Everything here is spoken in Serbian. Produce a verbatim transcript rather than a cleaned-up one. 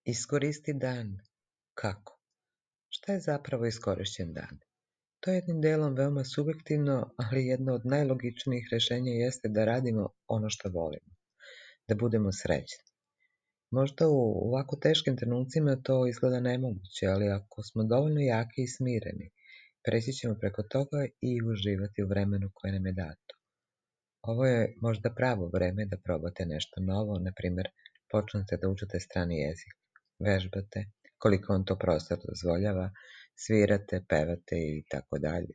Iskoristi dan. Kako? Šta je zapravo iskorišćen dan? To je jednim delom veoma subjektivno, ali jedno od najlogičnijih rešenja jeste da radimo ono što volimo, da budemo srećni. Možda u ovako teškim trenucima to izgleda nemoguće, ali ako smo dovoljno jaki i smireni, preći ćemo preko toga i uživati u vremenu koje nam je dato. Ovo je možda pravo vreme da probate nešto novo, na primjer, počnete da učite strani jezik, vežbate, koliko vam to prostor dozvoljava, svirate, pevate i tako dalje.